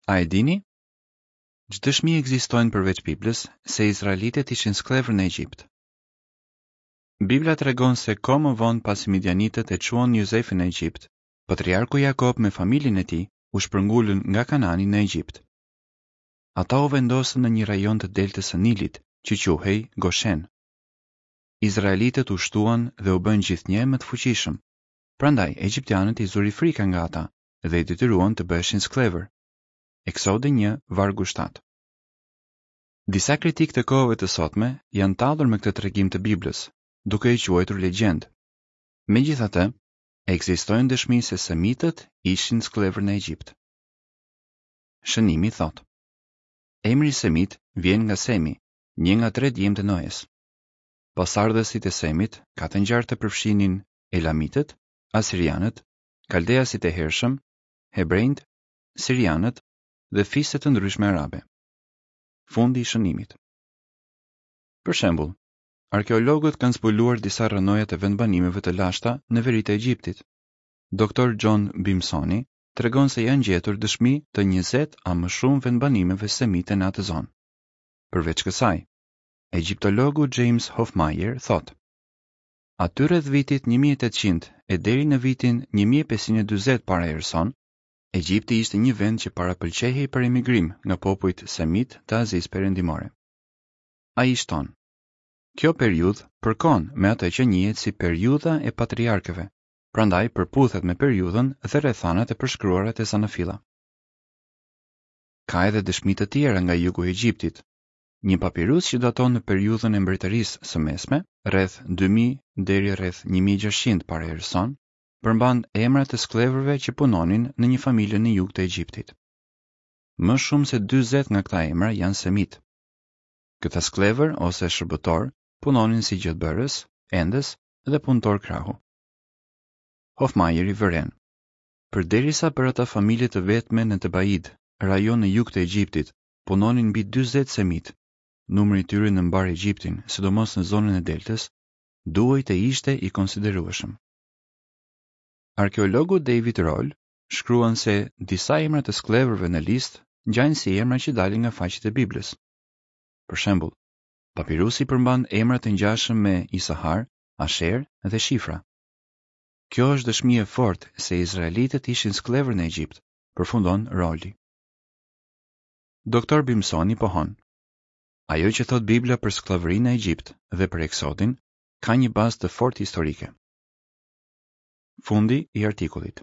A e dini? Ç'dëshmi ekzistojnë përveç Biblës se izraelitët ishin skllevër në Egjipt? Bibla tregon se kohë më vonë pasi midianitët e çuan Jozefin në Egjipt, patriarku Jakob me familjen e tij u shpërngulën nga Kanani në Egjipt. Ata u vendosën në një rajon të deltës së Nilit, që quhej Goshen. Izraelitët u shtuan dhe u bënë gjithnjë e më të fuqishëm. Prandaj egjiptianët i zuri frika nga ata dhe i detyruan të bëheshin skllevër. Eksodi një, vargu 7. Disa kritikë të kohëve të sotme janë tallur me këtë tregim të Biblës, duke e quajtur legjendë. Megjithatë, ekzistojnë dëshmi se semitët ishin skllevër në Egjipt. Shënimi thotë: Emri Semit vjen nga Semi, një nga tre djemtë e Noes. Pasardhësit e Semit ka të ngjarë të përfshinin Elamitët, Asirianët, Kaldeasit e hershëm, Hebrenjtë, Sirianët dhe fise të ndryshme arabe. Fundi i shënimit. Për shembull, arkeologët kanë zbuluar disa rrënoja të vendbanimeve të lashta në veri të Egjiptit. Doktor John Bimsoni tregon se janë gjetur dëshmi të 20 a më shumë vendbanimeve semite në atë zonë. Përveç kësaj, egjiptologu James Hoffmeier thotë: Aty rreth vitit 1800 e deri në vitin 1540 para erës sonë, Egjipti ishte një vend që parapëlqehej për emigrim nga popujt semitë të Azisë Perëndimore. Ai shton: Kjo periudhë përkon me atë që njihet si periudha e patriarkëve, prandaj përputhet me periudhën dhe rrethanat e përshkruara te Zanafilla. Ka edhe dëshmi të tjera nga jugu i Egjiptit. Një papirus që daton në periudhën e Mbretërisë së Mesme, rreth 2000 deri rreth 1600 para erës sonë, përmban emra të skllevërve që punonin në një familje në jug të Egjiptit. Më shumë se 40 nga këta emra janë semitë. Këta skllevër ose shërbëtorë punonin si gjethbërës, endës dhe punëtorë krahu. Hoffmeieri vëren: Përderisa për atë familje të vetme në Tebaid, rajon në jug të Egjiptit, punonin mbi 40 semitë, numri i tyre në mbarë Egjiptin, sidomos në zonën e deltës, duhej të ishte i konsiderueshëm. Arkeologu David Rohl shkruan se disa emra të skllevërve në listë ngjajnë si emra që dalin nga faqet e Biblës. Për shembull, papirusi përmban emra të ngjashëm me Isahar, Asher dhe Shifra. Kjo është dëshmi e fortë se izraelitët ishin skllevër në Egjipt, përfundon Roli. Doktor Bimsoni pohon: Ajo që thotë Bibla për skllavërinë në Egjipt dhe për Eksodin ka një bazë të fortë historike. Fundi i artikullit.